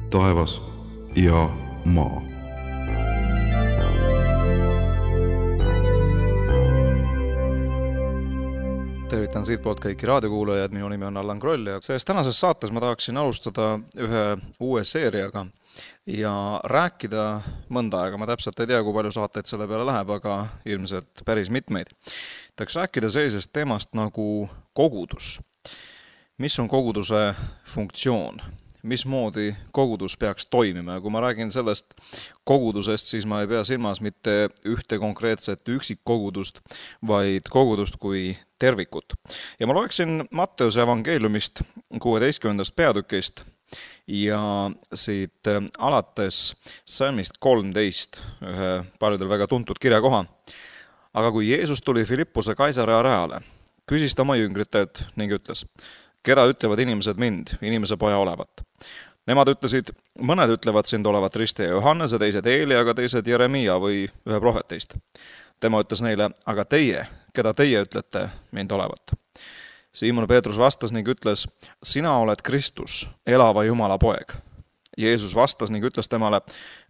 taevas ja maa. Tervitan siitpoolt kõiki raadiokuulajad, minu nimi on Allan Kroll ja selles tänases saates ma tahaksin alustada ühe uue seeriaga ja rääkida mõnda aega. Ma täpselt ei tea, kui palju saateid selle peale läheb, aga ilmselt päris mitmeid. Tahaks rääkida sellisest teemast nagu kogudus. Mis on koguduse funktsioon? Mismoodi kogudus peaks toimima? Ja kui ma räägin sellest kogudusest, siis ma ei pea silmas mitte ühte konkreetset üksikkogudust, vaid kogudust kui tervikut. Ja ma loeksin Matteuse evangeeliumist 16. peatükist ja siit alates salmist 13, ühe paljudel väga tuntud kirjakoha. Aga kui Jeesus tuli Filippuse Kaisarea rajale, küsis ta oma jüngritelt ning ütles: keda ütlevad inimesed mind, inimese poja olevat? Nemad ütlesid, mõned ütlevad sind olevat Ristija Johannese, teised Eelia, aga teised Jeremia või ühe prohvetist. Tema ütles neile, aga teie, keda teie ütlete mind olevat? Siimon Peetrus vastas ning ütles, sina oled Kristus, elava Jumala poeg. Jeesus vastas ning ütles temale,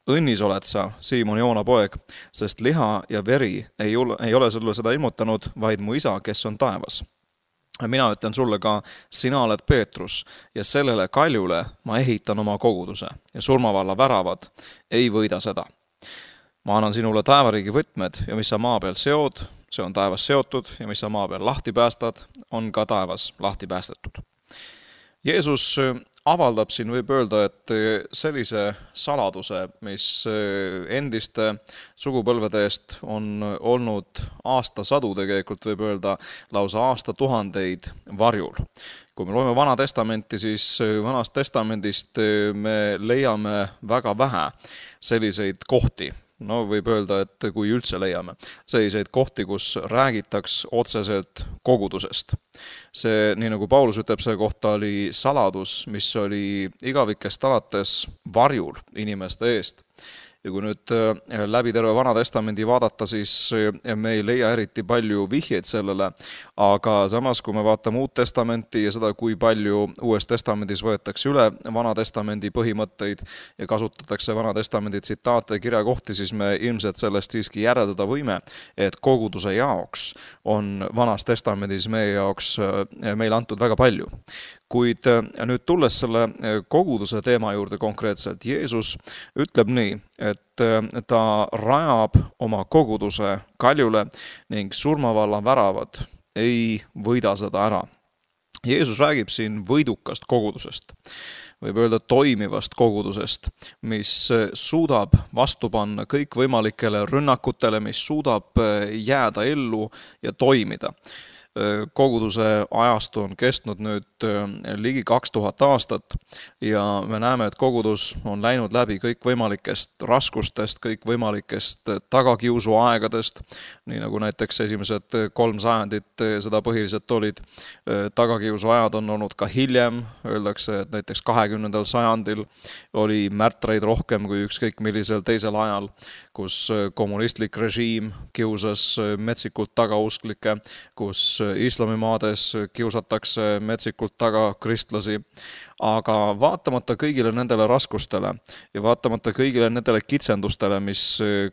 õnnis oled sa, Siimon Joona poeg, sest liha ja veri ei ole sulle seda ilmutanud, vaid mu isa, kes on taevas. Mina ütlen sulle ka, sina oled Peetrus ja sellele kaljule ma ehitan oma koguduse ja surmavalla väravad ei võida seda. Ma annan sinule taevariigi võtmed ja mis sa maa peal seod, see on taevas seotud ja mis sa maa peal lahti päästad, on ka taevas lahti päästetud. Jeesus avaldab siin, võib öelda, et sellise saladuse, mis endiste sugupõlvede eest on olnud aastasadu, tegelikult võib öelda lausa aastatuhandeid varjul. Kui me loeme Vana Testamenti, siis Vanast Testamendist me leiame väga vähe selliseid kohti. No võib öelda, et kui üldse leiame selliseid kohti, kus räägitaks otseselt kogudusest. See, nii nagu Paulus ütleb, see kohta oli saladus, mis oli igavikest alates varjul inimeste eest. Ja kui nüüd läbi terve Vana Testamendi vaadata, siis me ei leia eriti palju vihjeid sellele, aga samas, kui me vaatame Uut Testamenti ja seda, kui palju Uues Testamendis võetakse üle Vana Testamendi põhimõtteid ja kasutatakse Vana Testamendi tsitaate ja kirjakohti, siis me ilmselt sellest siiski järeldada võime, et koguduse jaoks on Vanas Testamendis meie jaoks meile antud väga palju. Kuid nüüd tulles selle koguduse teema juurde konkreetselt, Jeesus ütleb nii, et ta rajab oma koguduse kaljule ning surmavalla väravad ei võida seda ära. Jeesus räägib siin võidukast kogudusest, võib öelda toimivast kogudusest, mis suudab vastu panna kõikvõimalikele rünnakutele, mis suudab jääda ellu ja toimida. Koguduse ajastu on kestnud nüüd ligi 2000 aastat ja me näeme, et kogudus on läinud läbi kõikvõimalikest raskustest, kõikvõimalikest tagakiusuaegadest, nii nagu näiteks esimesed 3 sajandit seda põhiliselt olid. Tagakiusuajad on olnud ka hiljem, öeldakse, et näiteks 20. sajandil oli märtreid rohkem kui ükskõik millisel teisel ajal, kus kommunistlik režiim kiusas metsikult tagausklikke, kus islamimaades kiusatakse metsikult taga kristlasi, aga vaatamata kõigile nendele raskustele ja vaatamata kõigile nendele kitsendustele, mis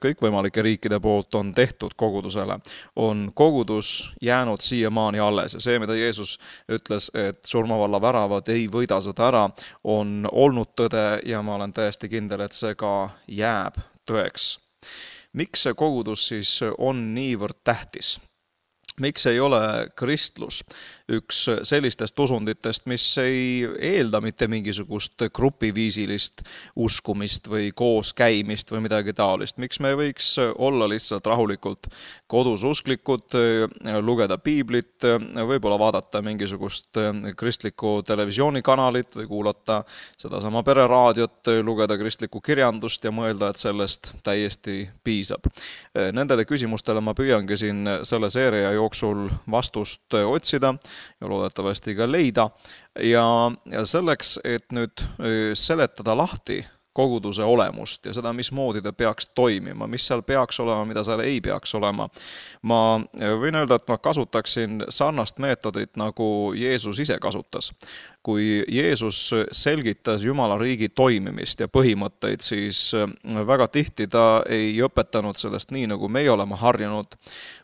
kõikvõimalike riikide poolt on tehtud kogudusele, on kogudus jäänud siiamaani alles ja see, mida Jeesus ütles, et surmavalla väravad ei võida seda ära, on olnud tõde ja ma olen täiesti kindel, et see ka jääb tõeks. Miks see kogudus siis on niivõrd tähtis? Miks ei ole kristlus üks sellistest usunditest, mis ei eelda mitte mingisugust grupiviisilist uskumist või koos käimist või midagi taolist? Miks me võiks olla lihtsalt rahulikult kodus usklikud, lugeda piiblit, võib-olla vaadata mingisugust kristlikku televisioonikanalit või kuulata sedasama pereraadiot, lugeda kristlikku kirjandust ja mõelda, et sellest täiesti piisab. Nendele küsimustele ma püüangi siin selle seeria jooksul vastust otsida ja loodetavasti ka leida. Ja selleks, et nüüd seletada lahti koguduse olemust ja seda, mismoodi ta peaks toimima, mis seal peaks olema, mida seal ei peaks olema. Ma võin öelda, et ma kasutaksin sarnast meetodit, nagu Jeesus ise kasutas. kui Jeesus selgitas Jumala riigi toimimist ja põhimõtteid, siis väga tihti ta ei õpetanud sellest nii, nagu meie oleme harjunud,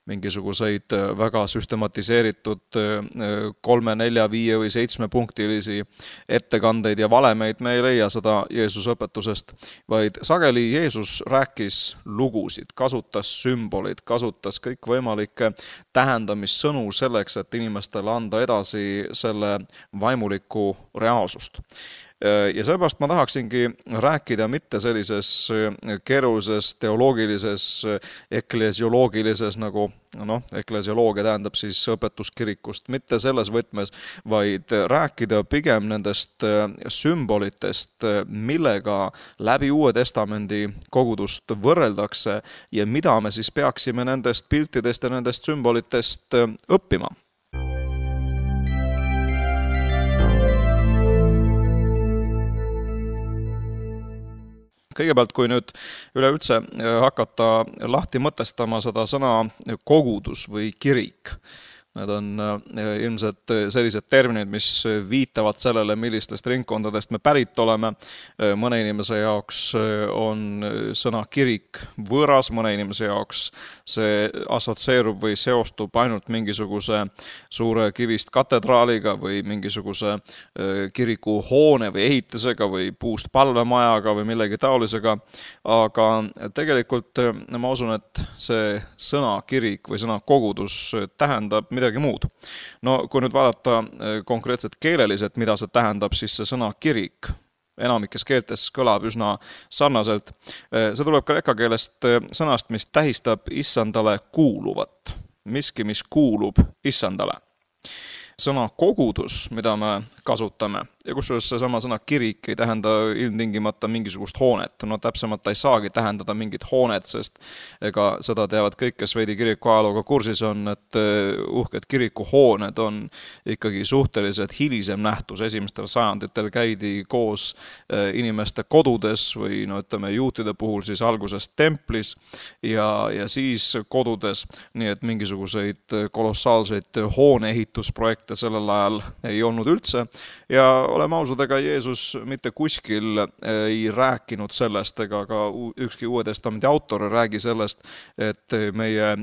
mingisuguseid väga süstematiseeritud 3, 4, 5 või 7-punktilisi ettekandeid ja valemeid, me ei leia seda Jeesuse õpetusest, vaid sageli Jeesus rääkis lugusid, kasutas sümbolid, kasutas kõikvõimalikke tähendamissõnu selleks, et inimestele anda edasi selle vaimulikku reaalsust. Ja sellepärast ma tahaksingi rääkida mitte sellises keerulises teoloogilises, eklesioloogilises, nagu eklesioloogia tähendab siis õpetuskirikust, mitte selles võtmes, vaid rääkida pigem nendest sümbolitest, millega läbi Uue Testamendi kogudust võrreldakse ja mida me siis peaksime nendest piltidest ja nendest sümbolitest õppima. Kõigepealt, kui nüüd üleüldse hakata lahti mõtestama seda sõna kogudus või kirik, need on ilmselt sellised terminid, mis viitavad sellele, millistest ringkondadest me pärit oleme. Mõne inimese jaoks on sõna kirik võõras, mõne inimese jaoks see assotsieerub või seostub ainult mingisuguse suure kivist katedraaliga või mingisuguse kirikuhoone või ehitisega või puust palvemajaga või millegi taolisega. Aga tegelikult ma usun, et see sõna kirik või sõna kogudus tähendab midagi muud. No kui nüüd vaadata konkreetselt keeleliselt, mida see tähendab, siis see sõna kirik enamikes keeltes kõlab üsna sarnaselt. See tuleb kreeka keelest sõnast, mis tähistab issandale kuuluvat. Miski, mis kuulub issandale. Sõna kogudus, mida me kasutame, ja kusjuures seesama sõna kirik ei tähenda ilmtingimata mingisugust hoonet. No täpsemalt ta ei saagi tähendada mingit hoonet, sest ega seda teavad kõik, kes veidi kiriku ajalooga kursis on, et uhked kirikuhooned on ikkagi suhteliselt hilisem nähtus. Esimestel sajanditel käidi koos inimeste kodudes või juutide puhul siis alguses templis ja siis kodudes, nii et mingisuguseid kolossaalseid hooneehitusprojekte sellel ajal ei olnud üldse. Ja oleme ausad, ega Jeesus mitte kuskil ei rääkinud sellest, ega ka ükski Uue Testamendi autor ei räägi sellest, et meie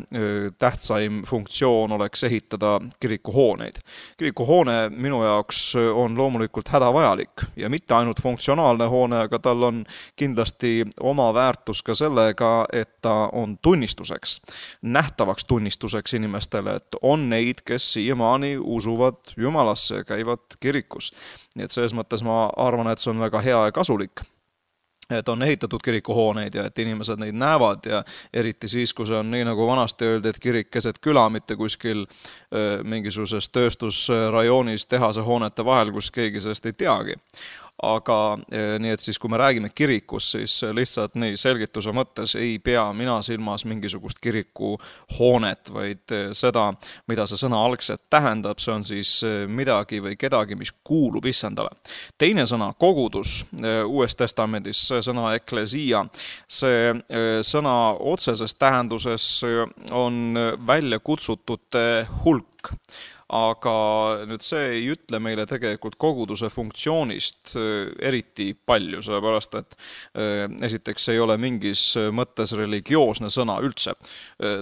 tähtsaim funktsioon oleks ehitada kirikuhooneid. Kirikuhoone minu jaoks on loomulikult hädavajalik ja mitte ainult funktsionaalne hoone, aga tal on kindlasti oma väärtus ka sellega, et ta on tunnistuseks, nähtavaks tunnistuseks inimestele, et on neid, kes siiamaani usuvad Jumalasse ja käivad kirikus. Nii et selles mõttes ma arvan, et see on väga hea ja kasulik, et on ehitatud kirikuhooneid ja et inimesed neid näevad ja eriti siis, kui see on nii nagu vanasti öeldi, et kirik keset küla, mitte kuskil mingisuguses tööstusrajoonis tehase hoonete vahel, kus keegi sellest ei teagi. Aga nii et siis, kui me räägime kirikust, siis lihtsalt nii selgituse mõttes ei pea mina silmas mingisugust kirikuhoonet, vaid seda, mida see sõna algselt tähendab, see on siis midagi või kedagi, mis kuulub issandale. Teine sõna, kogudus, Uues Testamendis, see sõna eklesia, see sõna otseses tähenduses on välja kutsutute hulk. Aga nüüd see ei ütle meile tegelikult koguduse funktsioonist eriti palju, sellepärast et esiteks ei ole mingis mõttes religioosne sõna üldse.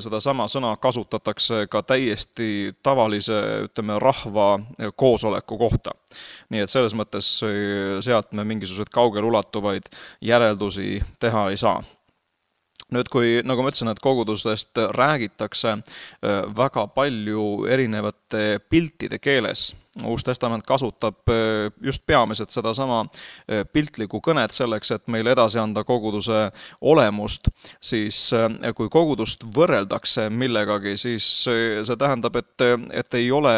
Seda sama sõna kasutatakse ka täiesti tavalise, rahva koosoleku kohta. Nii et selles mõttes sealt me mingisugused kaugel ulatuvaid järeldusi teha ei saa. Nüüd, kui, nagu ma ütlesin, et kogudustest räägitakse väga palju erinevate piltide keeles, Uus Testament kasutab just peamiselt seda sama piltlikku kõnet selleks, et meile edasi anda koguduse olemust, siis kui kogudust võrreldakse millegagi, siis see tähendab, et ei ole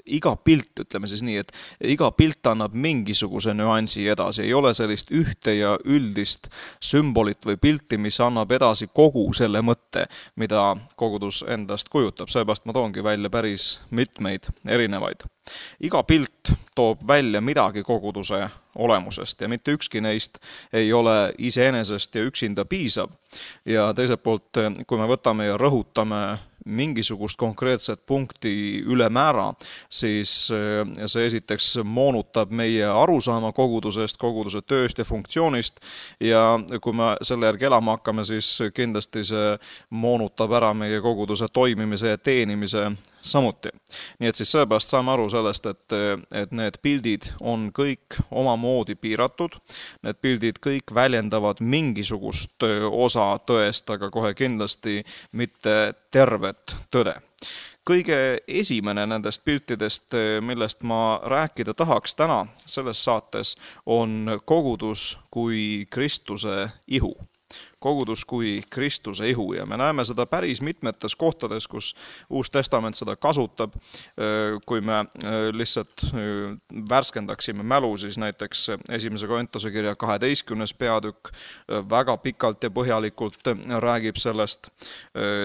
iga pilt, ütleme siis nii, et iga pilt annab mingisuguse nüansi edasi, ei ole sellist ühte ja üldist sümbolit või pilti, mis annab edasi kogu selle mõtte, mida kogudus endast kujutab. Seepärast ma toongi välja päris mitmeid erinevaid. Iga pilt toob välja midagi koguduse olemusest ja mitte ükski neist ei ole iseenesest ja üksinda piisav. Ja teiselt poolt, kui me võtame ja rõhutame mingisugust konkreetset punkti ülemäära, siis see esiteks moonutab meie arusaama kogudusest, koguduse tööst ja funktsioonist ja kui me selle järgi elama hakkame, siis kindlasti see moonutab ära meie koguduse toimimise ja teenimise samuti. Nii et siis sellepärast saame aru sellest, et need pildid on kõik omamoodi piiratud, need pildid kõik väljendavad mingisugust osa tõest, aga kohe kindlasti mitte tervet tõde. Kõige esimene nendest piltidest, millest ma rääkida tahaks täna selles saates, on kogudus kui Kristuse ihu. Kogudus kui Kristuse ihu ja me näeme seda päris mitmetes kohtades, kus Uus Testament seda kasutab. Kui me lihtsalt värskendaksime mälu, siis näiteks 1. Korintuse kirja 12. peatükk väga pikalt ja põhjalikult räägib sellest,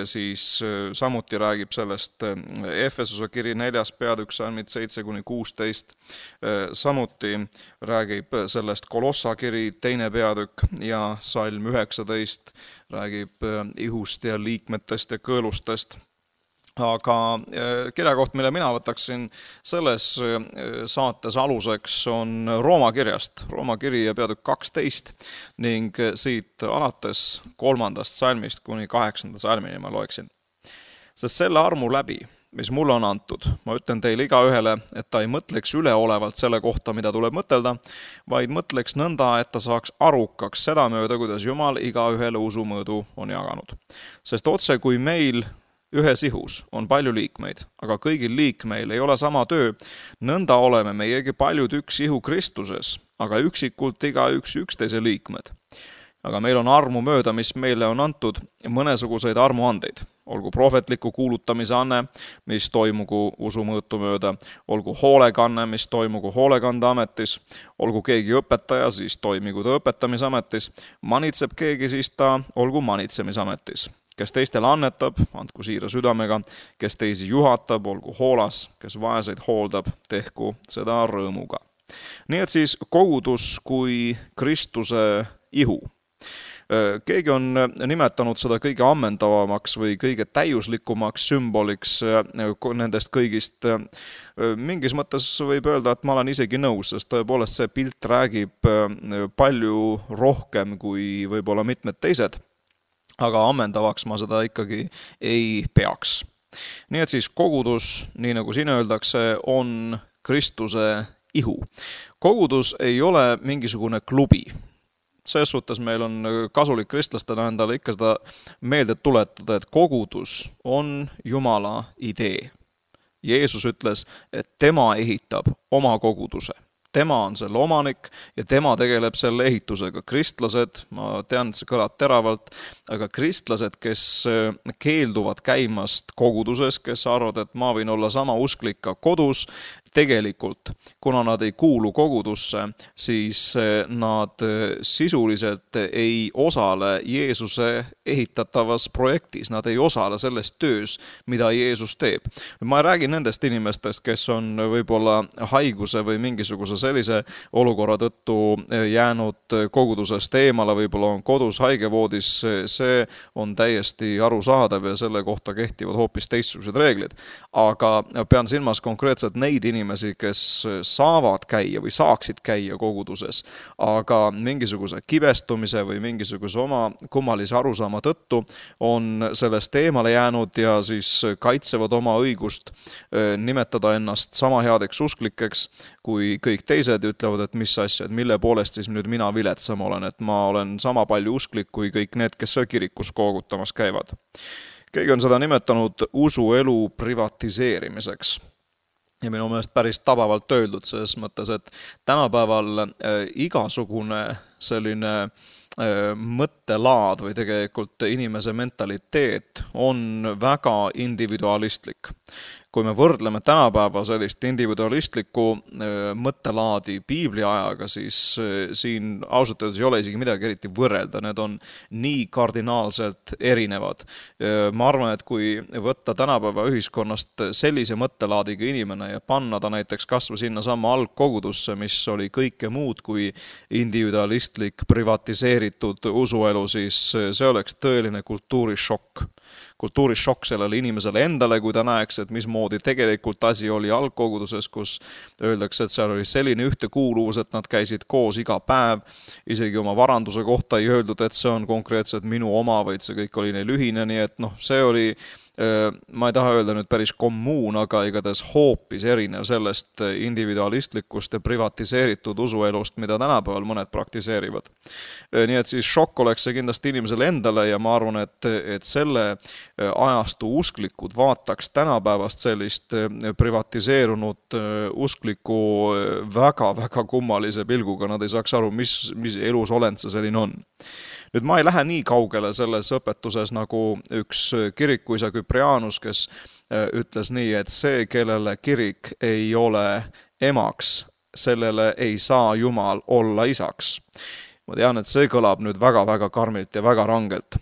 siis samuti räägib sellest Efesuse kiri 4. peatükk salmid 7-16, samuti räägib sellest Kolossa kiri 2. peatükk ja salm 19 räägib ihust ja liikmetest ja kõõlustest. Aga kirjakoht, mille mina võtaksin selles saates aluseks, on Rooma kirjast, Rooma kiri ja peatükk 12 ning siit alates 3. salmist kuni 8. salmini ma loeksin. Sest selle armu läbi, mis mulle on antud, ma ütlen teile igaühele, et ta ei mõtleks üleolevalt selle kohta, mida tuleb mõtelda, vaid mõtleks nõnda, et ta saaks arukaks seda mööda, kuidas Jumal igaühele usumõõdu on jaganud. Sest otse kui meil ühes ihus on palju liikmeid, aga kõigil liikmeil ei ole sama töö, nõnda oleme meiegi paljud üks ihu Kristuses, aga üksikult igaüks üksteise liikmed. Aga meil on armu mööda, mis meile on antud, mõnesuguseid armuandeid. Olgu prohvetliku kuulutamise anne, mis toimugu usumõõtu mööda, olgu hoolekanne, mis toimugu hoolekandeametis, olgu keegi õpetaja, siis toimigu ta õpetamisametis, manitseb keegi, siis ta olgu manitsemisametis. Kes teistele annetab, andku siira südamega, kes teisi juhatab, olgu hoolas, kes vaeseid hooldab, tehku seda rõõmuga. Nii et siis kogudus kui Kristuse ihu. Keegi on nimetanud seda kõige ammendavamaks või kõige täiuslikumaks sümboliks nendest kõigist. Mingis mõttes võib öelda, et ma olen isegi nõus, sest tõepoolest see pilt räägib palju rohkem kui võib-olla mitmed teised, aga ammendavaks ma seda ikkagi ei peaks. Nii et siis kogudus, nii nagu siin öeldakse, on Kristuse ihu. Kogudus ei ole mingisugune klubi. Selles suhtes meil on kasulik kristlastena endale ikka seda meelde tuletada, et kogudus on Jumala idee. Jeesus ütles, et tema ehitab oma koguduse. Tema on selle omanik ja tema tegeleb selle ehitusega. Kristlased, ma tean, et see kõlab teravalt, aga kristlased, kes keelduvad käimast koguduses, kes arvavad, et ma võin olla sama usklik ka kodus, tegelikult, kuna nad ei kuulu kogudusse, siis nad sisuliselt ei osale Jeesuse ehitatavas projektis, nad ei osale selles töös, mida Jeesus teeb. Ma räägin nendest inimestest, kes on võib-olla haiguse või mingisuguse sellise olukorra tõttu jäänud kogudusest eemale, võib-olla on kodus haigevoodis, see on täiesti arusaadav ja selle kohta kehtivad hoopis teistsugused reeglid. Aga pean silmas konkreetselt neid inimesi, kes saavad käia või saaksid käia koguduses, aga mingisuguse kibestumise või mingisuguse oma kummalise arusaama tõttu on sellest eemale jäänud ja siis kaitsevad oma õigust nimetada ennast sama headeks usklikeks kui kõik teised, ütlevad, et mis asja, et mille poolest siis nüüd mina viletsam olen, et ma olen sama palju usklik kui kõik need, kes kirikus koogutamas käivad. Keegi on seda nimetanud usuelu privatiseerimiseks. Ja minu meelest päris tabavalt öeldud selles mõttes, et tänapäeval igasugune selline mõttelaad või tegelikult inimese mentaliteet on väga individualistlik. Kui me võrdleme tänapäeva sellist individualistlikku mõttelaadi Piibli ajaga, siis siin ausalt öeldes ei ole isegi midagi eriti võrrelda, need on nii kardinaalselt erinevad. Ma arvan, et kui võtta tänapäeva ühiskonnast sellise mõttelaadiga inimene ja panna ta näiteks kasvõi sinna sama algkogudusse, mis oli kõike muud kui individualistlik, privatiseeritud praktiseeritud usuelu, siis see oleks tõeline kultuurishokk. Kultuurishokk sellele inimesele endale, kui ta näeks, et mismoodi tegelikult asi oli algkoguduses, kus öeldakse, et seal oli selline ühtekuuluvus, et nad käisid koos iga päev, isegi oma varanduse kohta ei öeldud, et see on konkreetselt minu oma, vaid see kõik oli neil ühine, nii et see oli, ma ei taha öelda nüüd päris kommuun, aga igatahes hoopis erinev sellest individualistlikust ja privatiseeritud usuelust, mida tänapäeval mõned praktiseerivad. Nii et siis šokk oleks see kindlasti inimesele endale ja ma arvan, et selle ajastu usklikud vaataks tänapäevast sellist privatiseerunud uskliku väga-väga kummalise pilguga, nad ei saaks aru, mis elus olend see selline on. Nüüd ma ei lähe nii kaugele selles õpetuses nagu üks kirikuisa Küprianus, kes ütles nii, et see, kellele kirik ei ole emaks, sellele ei saa Jumal olla isaks. Ma tean, et see kõlab nüüd väga-väga karmilt ja väga rangelt.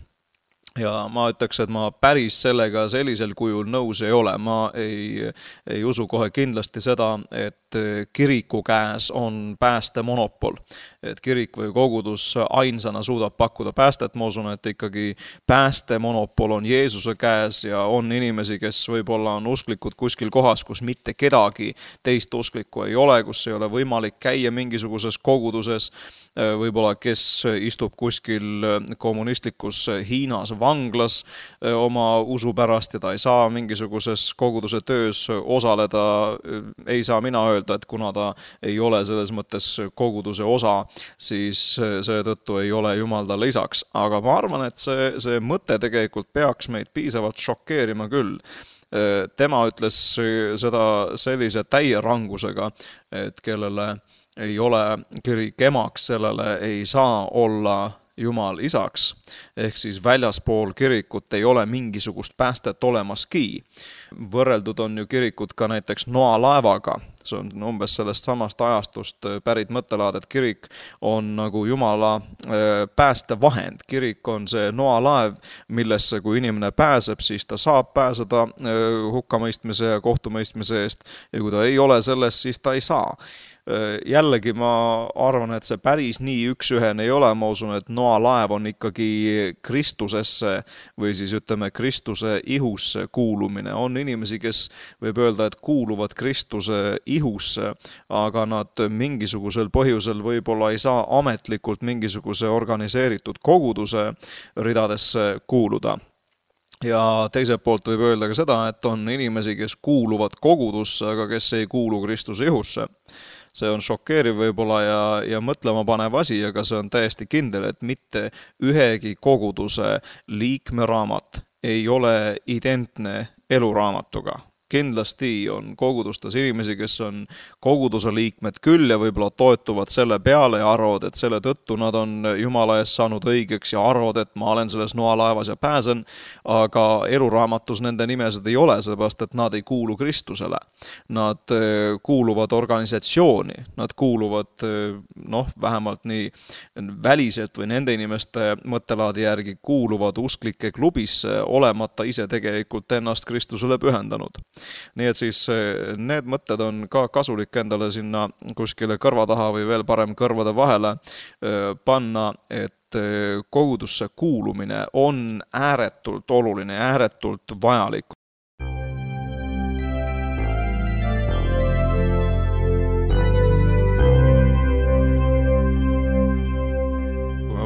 Ja ma ütleks, et ma päris sellega sellisel kujul nõus ei ole. Ma ei usu kohe kindlasti seda, et kiriku käes on pääste monopol. Et kirik või kogudus ainsana suudab pakkuda päästet. Ma usun, et ikkagi pääste monopol on Jeesuse käes ja on inimesi, kes võib-olla on usklikud kuskil kohas, kus mitte kedagi teist usklikku ei ole, kus ei ole võimalik käia mingisuguses koguduses, võib-olla kes istub kuskil kommunistlikus Hiinas vanglas oma usu pärast ja ta ei saa mingisuguses koguduse töös osaleda, ei saa mina öelda, et kuna ta ei ole selles mõttes koguduse osa, siis seetõttu ei ole Jumal talle isaks. Aga ma arvan, et see mõte tegelikult peaks meid piisavalt šokeerima küll. Tema ütles seda sellise täie rangusega, et kellele ei ole kirik emaks, sellele ei saa olla Jumal isaks, ehk siis väljaspool kirikut ei ole mingisugust päästet olemaski. Võrreldud on ju kirikut ka näiteks noalaevaga, see on umbes sellest samast ajastust pärit mõttelaad, et kirik on nagu Jumala päästevahend. Kirik on see noalaev, millesse kui inimene pääseb, siis ta saab pääseda hukkamõistmise ja kohtumõistmise eest ja kui ta ei ole selles, siis ta ei saa. Jällegi ma arvan, et see päris nii üks-ühene ei ole, ma usun, et noalaev on ikkagi Kristusesse või siis ütleme Kristuse ihusse kuulumine. On inimesi, kes võib öelda, et kuuluvad Kristuse ihusse, aga nad mingisugusel põhjusel võib-olla ei saa ametlikult mingisuguse organiseeritud koguduse ridadesse kuuluda. Ja teiselt poolt võib öelda ka seda, et on inimesi, kes kuuluvad kogudusse, aga kes ei kuulu Kristuse ihusse. See on šokeeriv võib-olla ja mõtlema panev asi, aga see on täiesti kindel, et mitte ühegi koguduse liikmeraamat ei ole identne eluraamatuga. Kindlasti on kogudustes inimesi, kes on koguduse liikmed küll ja võib-olla toetuvad selle peale ja arvavad, et selle tõttu nad on Jumala ees saanud õigeks ja arvavad, et ma olen selles noalaevas ja pääsen, aga eluraamatus nende nimesid ei ole, sellepärast et nad ei kuulu Kristusele. Nad kuuluvad organisatsiooni, nad kuuluvad vähemalt nii väliselt või nende inimeste mõttelaadi järgi kuuluvad usklike klubisse, olemata ise tegelikult ennast Kristusele pühendanud. Nii et siis need mõtted on ka kasulik endale sinna kuskile kõrva taha või veel parem kõrvade vahele panna, et kogudusse kuulumine on ääretult oluline, ääretult vajalik.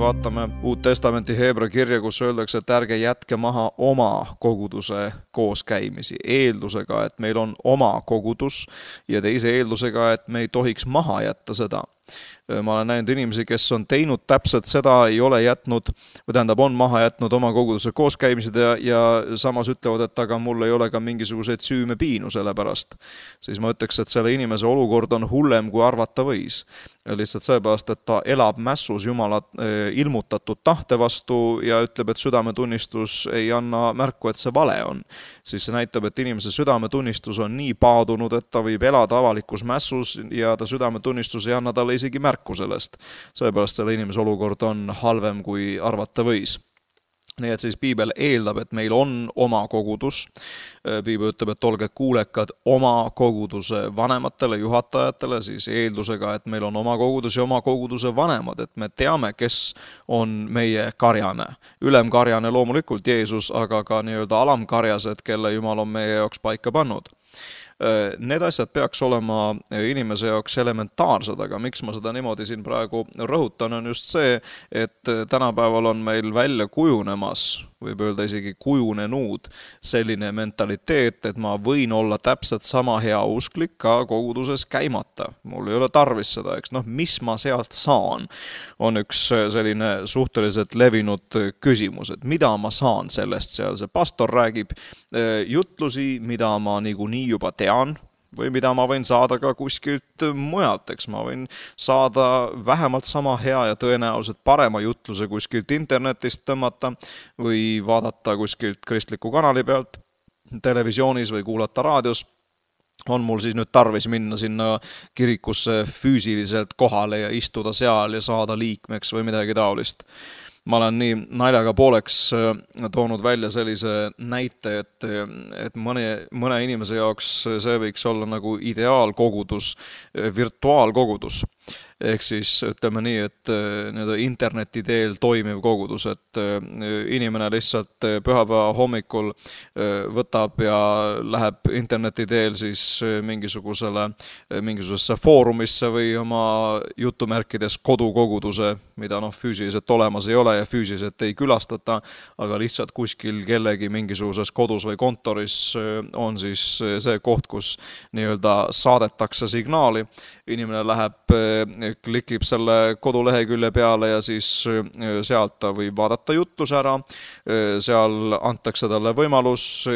Vaatame Uut Testamenti Heebra kirja, kus öeldakse, et ärge jätke maha oma koguduse kooskäimisi eeldusega, et meil on oma kogudus ja teise eeldusega, et me ei tohiks maha jätta seda. Ma olen näinud inimesi, kes on teinud täpselt seda, ei ole jätnud, on maha jätnud oma koguduse kooskäimised ja samas ütlevad, et aga mul ei ole ka mingisuguseid süüme piinu selle pärast. Siis ma ütleks, et selle inimese olukord on hullem, kui arvata võis. Lihtsalt seepärast, et ta elab mässus Jumala ilmutatud tahte vastu ja ütleb, et südametunnistus ei anna märku, et see vale on. Siis see näitab, et inimese südametunnistus on nii paadunud, et ta võib elada avalikus mässus ja ta südametunnistus ei anna talle isegi märku sellest. Seepärast selle inimese olukord on halvem, kui arvata võis. Nii et siis piibel eeldab, et meil on oma kogudus. Piibel ütleb, et olge kuulekad oma koguduse vanematele, juhatajatele, siis eeldusega, et meil on oma kogudus ja oma koguduse vanemad, et me teame, kes on meie karjane. Ülemkarjane loomulikult Jeesus, aga ka nii-öelda alamkarjased, kelle Jumal on meie jaoks paika pannud. Need asjad peaks olema inimese jaoks elementaarsed, aga miks ma seda niimoodi siin praegu rõhutan, on just see, et tänapäeval on meil välja kujunemas, võib öelda isegi kujunenud selline mentaliteet, et ma võin olla täpselt sama hea usklik ka koguduses käimata. Mul ei ole tarvis seda, eks mis ma sealt saan, on üks selline suhteliselt levinud küsimus, et mida ma saan sellest seal. See pastor räägib jutlusi, mida ma niikuinii juba tean, või mida ma võin saada ka kuskilt mujalt, eks ma võin saada vähemalt sama hea ja tõenäoliselt parema jutluse kuskilt internetist tõmmata või vaadata kuskilt kristliku kanali pealt televisioonis või kuulata raadios. On mul siis nüüd tarvis minna sinna kirikusse füüsiliselt kohale ja istuda seal ja saada liikmeks või midagi taolist. Ma olen nii naljaga pooleks toonud välja sellise näite, et mõne inimese jaoks see võiks olla nagu ideaalkogudus, virtuaalkogudus. Ehk siis ütleme nii, et interneti teel toimiv kogudus, et inimene lihtsalt pühapäeva hommikul võtab ja läheb interneti teel siis mingisugusesse foorumisse või oma jutumärkides kodukoguduse, mida füüsiliselt olemas ei ole ja füüsiliselt ei külastata, aga lihtsalt kuskil kellegi mingisuguses kodus või kontoris on siis see koht, kus nii-öelda saadetakse signaali. Inimene läheb, klikib selle kodulehekülje peale ja siis sealt ta võib vaadata jutluse ära. Seal antakse talle võimalus,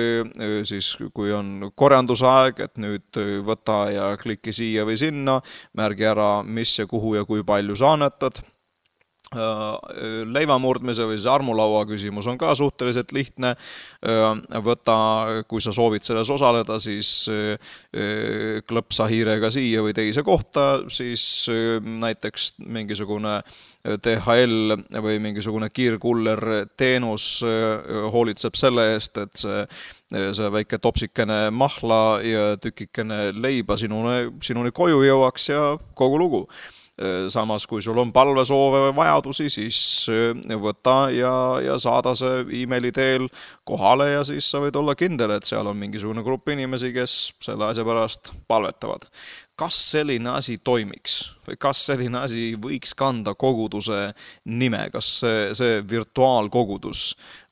siis kui on korjandusaeg, et nüüd võta ja kliki siia või sinna, märgi ära, mis ja kuhu ja kui palju sa annetad. Leivamurdmise või see armulaua küsimus on ka suhteliselt lihtne. Võta, kui sa soovid selles osaleda, siis klõpsa hiirega siia või teise kohta, siis näiteks mingisugune DHL või mingisugune kiirkuller teenus hoolitseb selle eest, et see väike topsikene mahla ja tükikene leiba sinuni koju jõuaks ja kogu lugu. Samas, kui sul on palvesoove või vajadusi, siis võta ja saada see e-maili teel kohale ja siis sa võid olla kindel, et seal on mingisugune grupp inimesi, kes selle asja pärast palvetavad. Kas selline asi toimiks või kas selline asi võiks kanda koguduse nime? Kas see virtuaalkogudus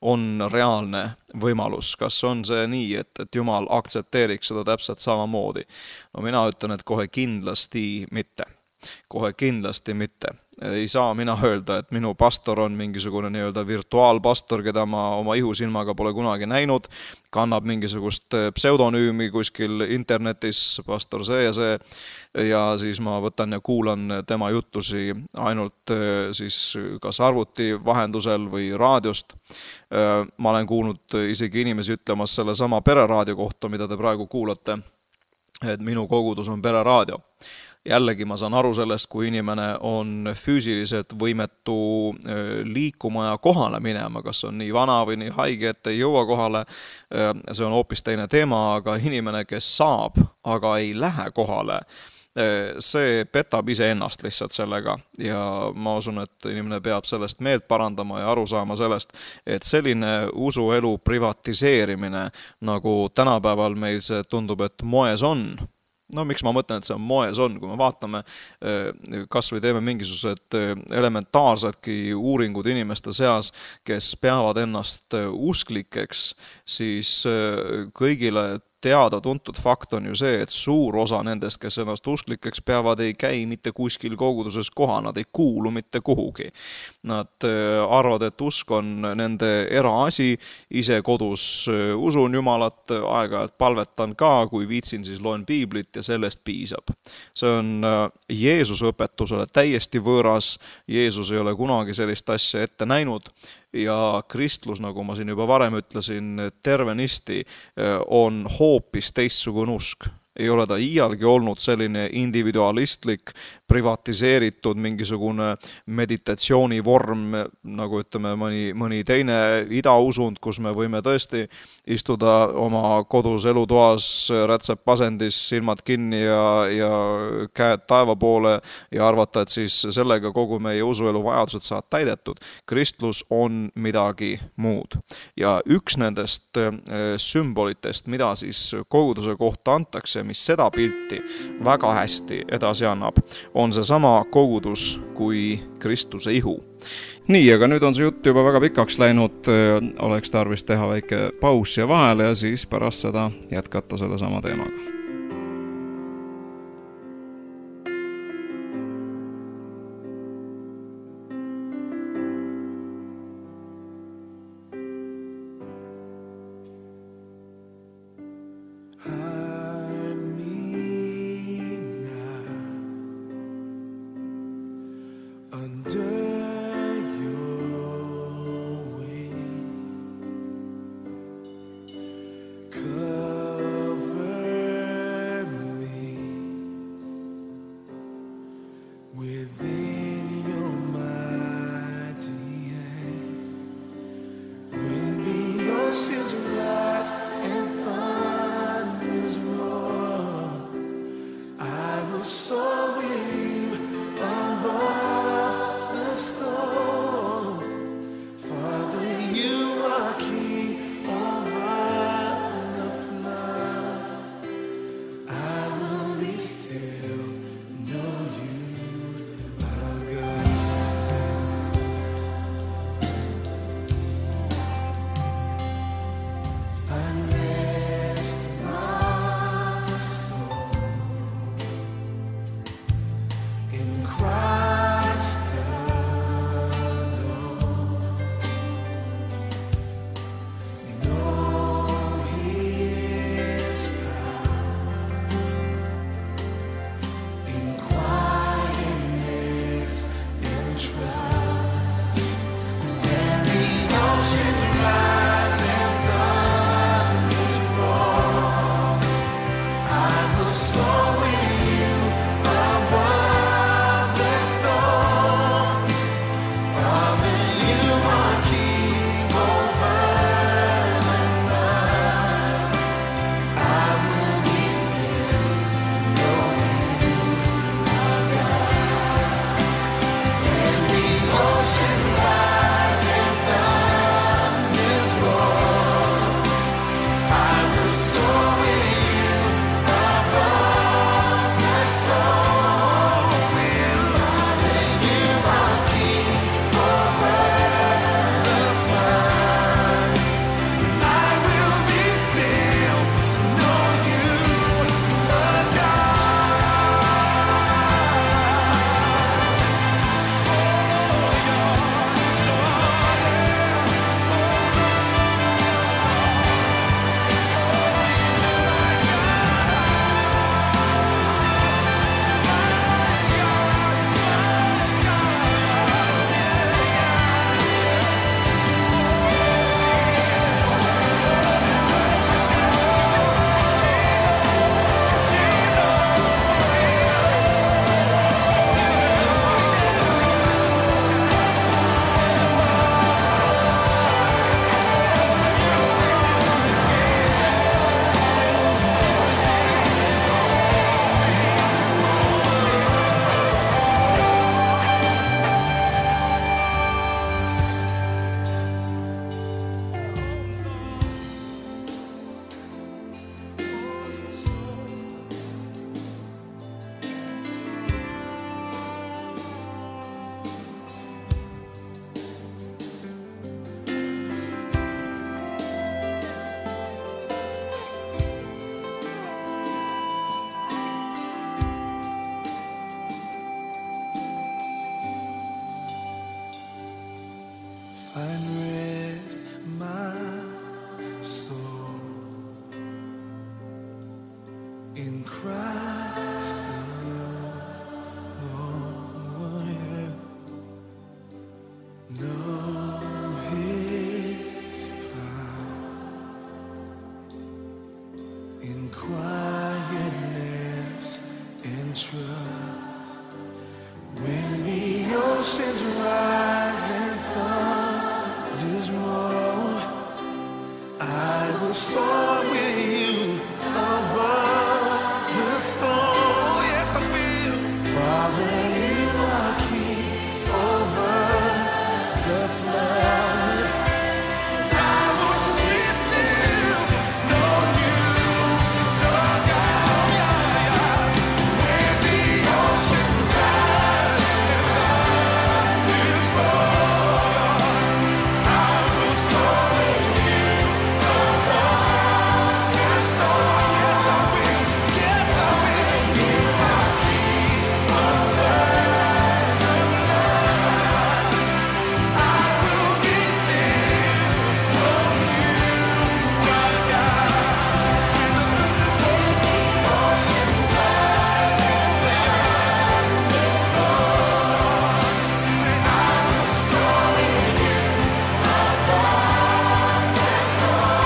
on reaalne võimalus? Kas on see nii, et Jumal aktsepteeriks seda täpselt samamoodi? No mina ütlen, et kohe kindlasti mitte. Kohe kindlasti mitte. Ei saa mina öelda, et minu pastor on mingisugune nii-öelda virtuaalpastor, keda ma oma ihusilmaga pole kunagi näinud, kannab mingisugust pseudonüümi kuskil internetis, pastor see ja siis ma võtan ja kuulan tema jutlusi ainult siis kas arvuti vahendusel või raadiost. Ma olen kuulnud isegi inimesi ütlemas selle sama pereraadio kohta, mida te praegu kuulate, et minu kogudus on pereraadio. Jällegi ma saan aru sellest, kui inimene on füüsiliselt võimetu liikuma ja kohale minema, kas on nii vana või nii haige, et ei jõua kohale, see on hoopis teine teema, aga inimene, kes saab, aga ei lähe kohale, see petab iseennast lihtsalt sellega ja ma usun, et inimene peab sellest meelt parandama ja aru saama sellest, et selline usuelu privatiseerimine, nagu tänapäeval meil see tundub, et moes on. No miks ma mõtlen, et see on moes on, kui me vaatame, kas või teeme mingisugused elementaarsedki uuringud inimeste seas, kes peavad ennast usklikeks, siis kõigile teada-tuntud fakt on ju see, et suur osa nendest, kes ennast usklikeks peavad, ei käi mitte kuskil koguduses koha, nad ei kuulu mitte kuhugi. Nad arvad, et usk on nende eraasi, ise kodus usun Jumalat, aeg-ajalt palvetan ka, kui viitsin, siis loen piiblit ja sellest piisab. See on Jeesuse õpetusele täiesti võõras, Jeesus ei ole kunagi sellist asja ette näinud, ja kristlus, nagu ma siin juba varem ütlesin, tervenisti on hoopis teistsugune usk. ei ole ta iialgi olnud selline individualistlik, privatiseeritud mingisugune meditatsioonivorm, nagu ütleme mõni teine idausund, kus me võime tõesti istuda oma kodus elutoas rätsepasendis, silmad kinni ja käed taeva poole ja arvata, et siis sellega kogu meie usuelu vajadused saavad täidetud. Kristlus on midagi muud. Ja üks nendest sümbolitest, mida siis koguduse kohta antakse, mis seda pilti väga hästi edasi annab, on see sama kogudus kui Kristuse ihu. Nii, aga nüüd on see jutt juba väga pikaks läinud, oleks tarvis teha väike paus ja vahele ja siis pärast seda jätkata selle sama teemaga. quietness trust. When the oceans rise and thunders roll, I will soar with you above the storm. Yes, I will. Father, you are king over the flood. I will be still, know you, dug out, yeah, yeah. When the oceans rise and thunders roll, I will soar with you above the storm. Yes, I will. Yes, I will. You are king over the flood. I will be still, know you, dug out. When the thunders roll, oceans rise and thunders roll. Say, I will soar with you above the storm.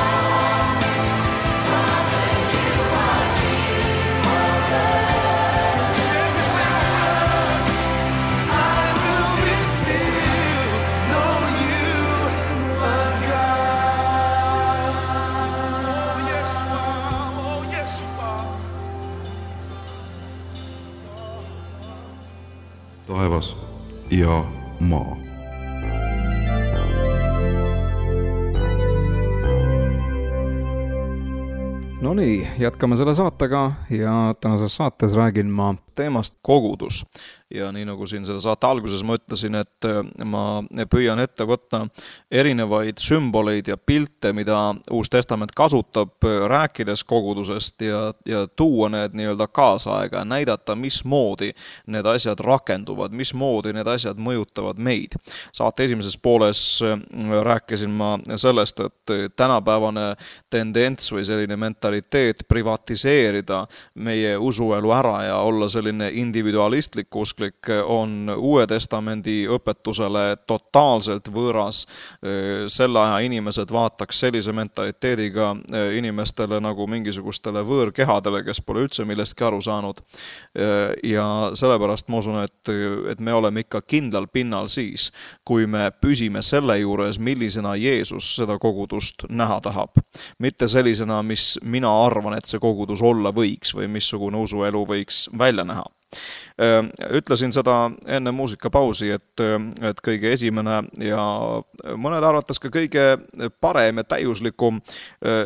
Father, you are king over every single flood. I will be still, know you are God. Oh, yes, you are. Oh, yes, you are. taevas ja maa. No nii, jätkame selle saatega ja tänases saates räägin ma teemast kogudus. Ja nii nagu siin selle saate alguses ma ütlesin, et ma püüan ette võtta erinevaid sümboleid ja pilte, mida Uus Testament kasutab, rääkides kogudusest ja tuua need nii-öelda kaasaega, näidata, mismoodi need asjad rakenduvad, mismoodi need asjad mõjutavad meid. Saate esimeses pooles rääkisin ma sellest, et tänapäevane tendents või selline mentaliteet privatiseerida meie usuelu ära ja olla selline individualistlik usklik on Uue Testamendi õpetusele totaalselt võõras. Selle aja inimesed vaataks sellise mentaliteediga inimestele nagu mingisugustele võõrkehadele, kes pole üldse millestki aru saanud. Ja sellepärast ma usun, et me oleme ikka kindlal pinnal siis, kui me püsime selle juures, millisena Jeesus seda kogudust näha tahab. Mitte sellisena, mis mina arvan, et see kogudus olla võiks või missugune usuelu võiks välja näha. Ütlesin seda enne muusikapausi, et kõige esimene ja mõned arvates ka kõige parem ja täiuslikum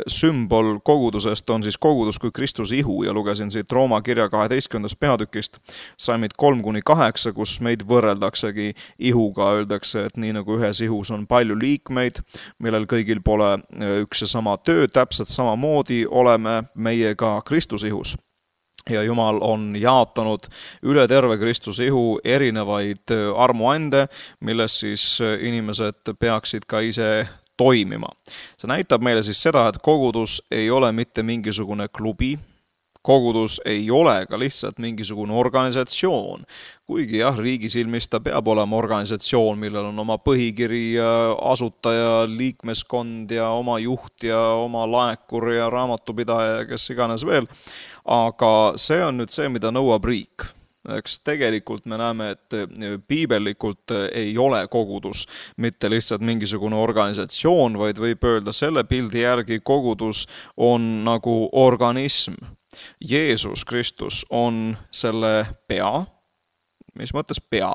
sümbol kogudusest on siis kogudus kui Kristuse ihu ja lugesin siit Rooma kirja 12. peatükist salmid 3-8, kus meid võrreldaksegi ihuga, öeldakse, et nii nagu ühes ihus on palju liikmeid, millel kõigil pole üks ja sama töö, täpselt samamoodi oleme meie ka Kristuse ihus. Ja Jumal on jaotanud üle terve Kristuse ihu erinevaid armuande, milles siis inimesed peaksid ka ise toimima. See näitab meile siis seda, et kogudus ei ole mitte mingisugune klubi, kogudus ei ole ka lihtsalt mingisugune organisatsioon, kuigi jah, riigi silmis ta peab olema organisatsioon, millel on oma põhikiri, asutaja, liikmeskond ja oma juht ja oma laekur ja raamatupidaja ja kes iganes veel. Aga see on nüüd see, mida nõuab riik. Eks tegelikult me näeme, et piibellikult ei ole kogudus mitte lihtsalt mingisugune organisatsioon, vaid võib öelda selle pildi järgi kogudus on nagu organism. Jeesus Kristus on selle pea. Mis mõttes pea?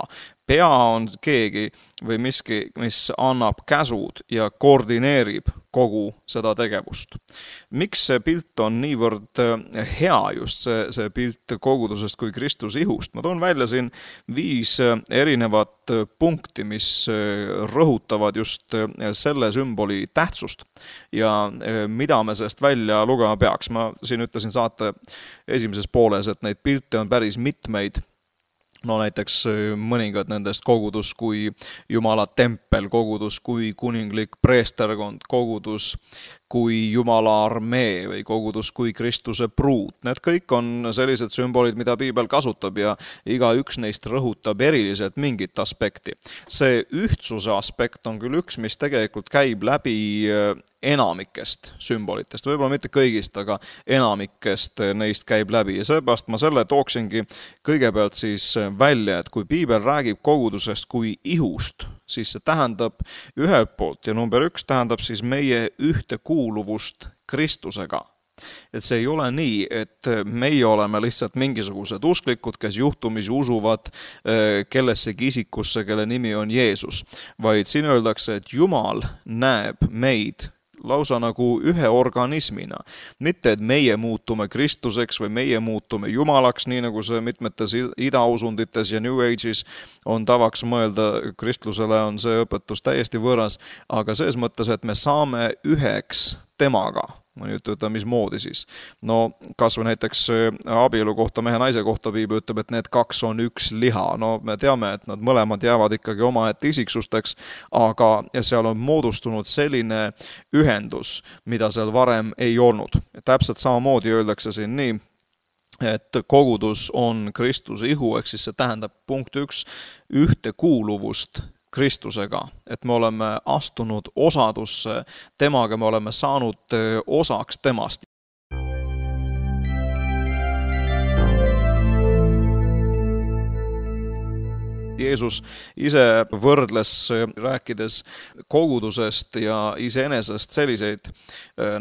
Pea on keegi või miski, mis annab käsud ja koordineerib kogu seda tegevust. Miks see pilt on niivõrd hea, just see pilt kogudusest kui Kristuse ihust? Ma toon välja siin 5 erinevat punkti, mis rõhutavad just selle sümboli tähtsust ja mida me sellest välja lugema peaks. Ma siin ütlesin saate esimeses pooles, et neid pilte on päris mitmeid. No näiteks mõningad nendest kogudus kui Jumala tempel, kogudus kui kuninglik preesterkond, kogudus kui Jumala armee või kogudus kui Kristuse pruut. Need kõik on sellised sümbolid, mida piibel kasutab ja igaüks neist rõhutab eriliselt mingit aspekti. See ühtsuse aspekt on küll üks, mis tegelikult käib läbi enamikest sümbolitest, võib-olla mitte kõigist, aga enamikest neist käib läbi ja seepärast ma selle tooksingi kõigepealt siis välja, et kui piibel räägib kogudusest kui ihust, siis see tähendab ühelt poolt ja number 1 tähendab siis meie ühtekuuluvust Kristusega. Et see ei ole nii, et meie oleme lihtsalt mingisugused usklikud, kes juhtumisi usuvad kellessegi isikusse, kelle nimi on Jeesus, vaid siin öeldakse, et Jumal näeb meid lausa nagu ühe organismina. Mitte, et meie muutume Kristuseks või meie muutume Jumalaks, nii nagu see mitmetes idausundites ja New Age'is on tavaks mõelda, kristlusele on see õpetus täiesti võõras, aga selles mõttes, et me saame üheks temaga. Ma nüüd ütlen, mismoodi siis. No kas või näiteks abielu kohta, mehe naise kohta piibel ütleb, et need 2 on üks liha. No me teame, et nad mõlemad jäävad ikkagi omaette isiksusteks, aga seal on moodustunud selline ühendus, mida seal varem ei olnud. Täpselt samamoodi öeldakse siin nii, et kogudus on Kristuse ihu, ehk siis see tähendab punkt 1 ühtekuuluvust Kristusega, et me oleme astunud osadusse temaga, me oleme saanud osaks temast. Jeesus ise võrdles, rääkides kogudusest ja iseenesest selliseid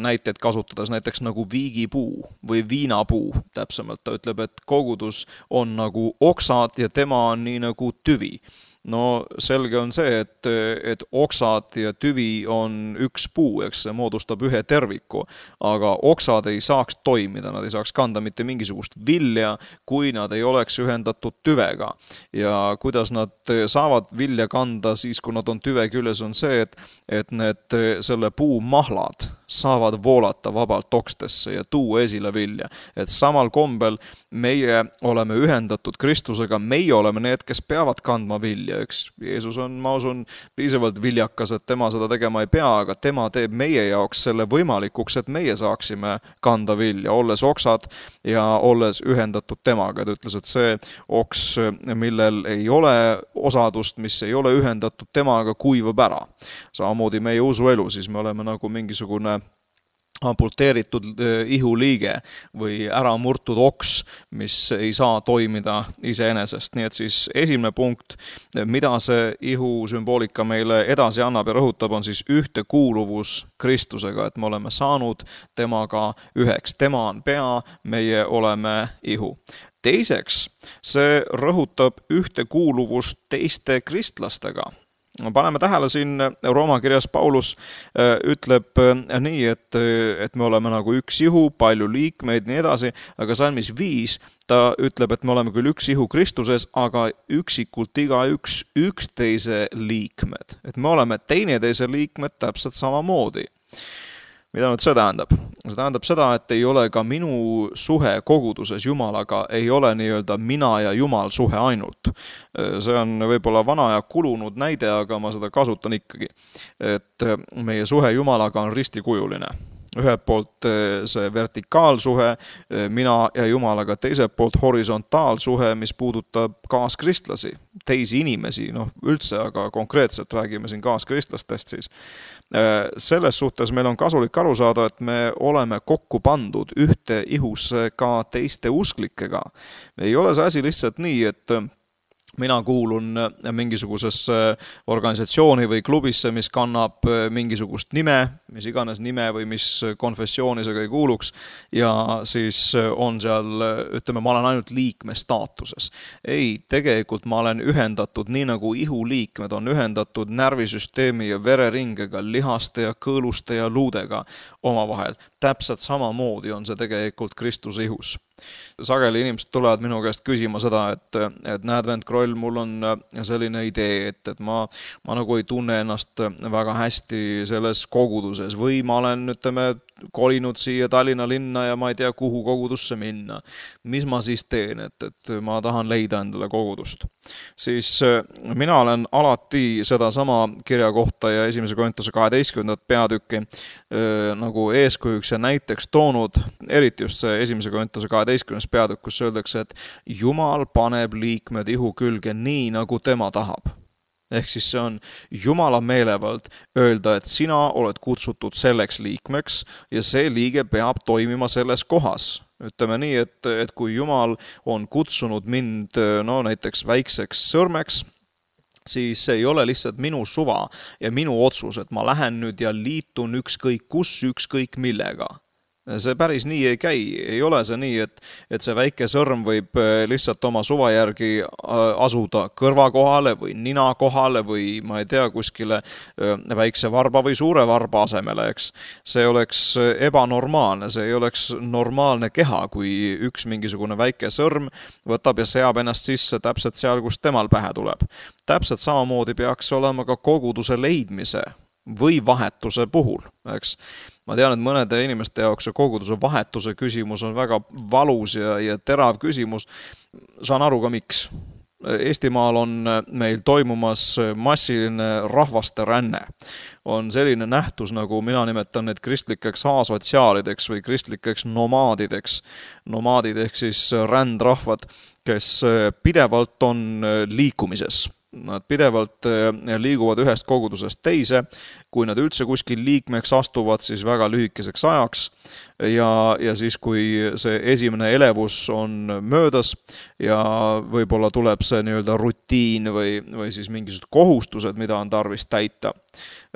näiteid kasutades, näiteks nagu viigipuu või viinapuu täpsemalt. Ta ütleb, et kogudus on nagu oksad ja tema on nii nagu tüvi. No selge on see, et oksad ja tüvi on üks puu, eks see moodustab ühe terviku, aga oksad ei saaks toimida, nad ei saaks kanda mitte mingisugust vilja, kui nad ei oleks ühendatud tüvega. Ja kuidas nad saavad vilja kanda siis, kui nad on tüve küljes, on see, et need selle puu mahlad saavad voolata vabalt okstesse ja tuua esile vilja. Et samal kombel meie oleme ühendatud Kristusega, meie oleme need, kes peavad kandma vilja. Üks Jeesus on, ma usun, piisavalt viljakas, et tema seda tegema ei pea, aga tema teeb meie jaoks selle võimalikuks, et meie saaksime kanda vilja, olles oksad ja olles ühendatud temaga. Ta ütles, et see oks, millel ei ole osadust, mis ei ole ühendatud temaga, kuivab ära. Samamoodi meie usuelu, siis me oleme nagu mingisugune amputeeritud ihuliige või ära murtud oks, mis ei saa toimida iseenesest. Nii et siis esimene punkt, mida see ihu sümboolika meile edasi annab ja rõhutab, on siis ühtekuuluvus Kristusega, et me oleme saanud temaga üheks. Tema on pea, meie oleme ihu. Teiseks, see rõhutab ühtekuuluvust teiste kristlastega. Paneme tähele siin Rooma kirjas Paulus ütleb nii, et me oleme nagu üks ihu, palju liikmeid, nii edasi, aga salmis 5 ta ütleb, et me oleme küll üks ihu Kristuses, aga üksikult igaüks üksteise liikmed. Et me oleme teineteise liikmed täpselt samamoodi. Mida nüüd see tähendab? See tähendab seda, et ei ole ka minu suhe koguduses Jumalaga, ei ole nii-öelda mina ja Jumal suhe ainult. See on võib-olla vana ja kulunud näide, aga ma seda kasutan ikkagi. Et meie suhe Jumalaga on ristikujuline. Ühelt poolt see vertikaalsuhe mina ja Jumalaga, teiselt poolt horisontaalsuhe, mis puudutab kaaskristlasi, teisi inimesi, üldse, aga konkreetselt räägime siin kaaskristlastest siis. Selles suhtes meil on kasulik aru saada, et me oleme kokku pandud ühte ihusse ka teiste usklikega. Ei ole see asi lihtsalt nii, et mina kuulun mingisugusesse organisatsiooni või klubisse, mis kannab mingisugust nime, mis iganes nime või mis konfessiooni see ei kuuluks, ja siis on seal, ütleme, ma olen ainult liikme staatuses. Ei, tegelikult ma olen ühendatud nii nagu ihuliikmed on ühendatud närvisüsteemi ja vereringega, lihaste ja kõõluste ja luudega omavahel. Täpselt samamoodi on see tegelikult Kristuse ihus. Sageli inimesed tulevad minu käest küsima seda, et näed, vend Kroll, mul on selline idee, et ma nagu ei tunne ennast väga hästi selles koguduses või ma olen, ütleme, kolinud siia Tallinna linna ja ma ei tea, kuhu kogudusse minna. Mis ma siis teen, et ma tahan leida endale kogudust. Siis mina olen alati seda sama kirja kohta ja 1. Korintuse 12. peatükki nagu eeskujuks ja näiteks toonud, eriti just see 1. Korintuse 12. peatükk, kus öeldakse, et Jumal paneb liikmed ihu külge nii, nagu tema tahab. Ehk siis see on Jumala meelevald öelda, et sina oled kutsutud selleks liikmeks ja see liige peab toimima selles kohas. Ütleme nii, et kui Jumal on kutsunud mind näiteks väikseks sõrmeks, siis see ei ole lihtsalt minu suva ja minu otsus, et ma lähen nüüd ja liitun ükskõik kus, ükskõik millega. See päris nii ei käi, ei ole see nii, et see väike sõrm võib lihtsalt oma suva järgi asuda kõrva kohale või nina kohale või ma ei tea, kuskile väikse varba või suure varba asemele, eks. See oleks ebanormaalne, see ei oleks normaalne keha, kui üks mingisugune väike sõrm võtab ja seab ennast sisse täpselt seal, kus temal pähe tuleb. Täpselt samamoodi peaks olema ka koguduse leidmise või vahetuse puhul, eks. Ma tean, et mõnede inimeste jaoks koguduse vahetuse küsimus on väga valus ja terav küsimus. Saan aru ka miks. Eestimaal on meil toimumas massiline rahvaste ränne. On selline nähtus, nagu mina nimetan need kristlikeks asotsiaalideks või kristlikeks nomaadideks. Nomaadid ehk siis rändrahvad, kes pidevalt on liikumises. Nad pidevalt liiguvad ühest kogudusest teise, kui nad üldse kuskil liikmeks astuvad, siis väga lühikeseks ajaks ja siis, kui see esimene elevus on möödas ja võib-olla tuleb see nii-öelda rutiin või siis mingisugused kohustused, mida on tarvis täita.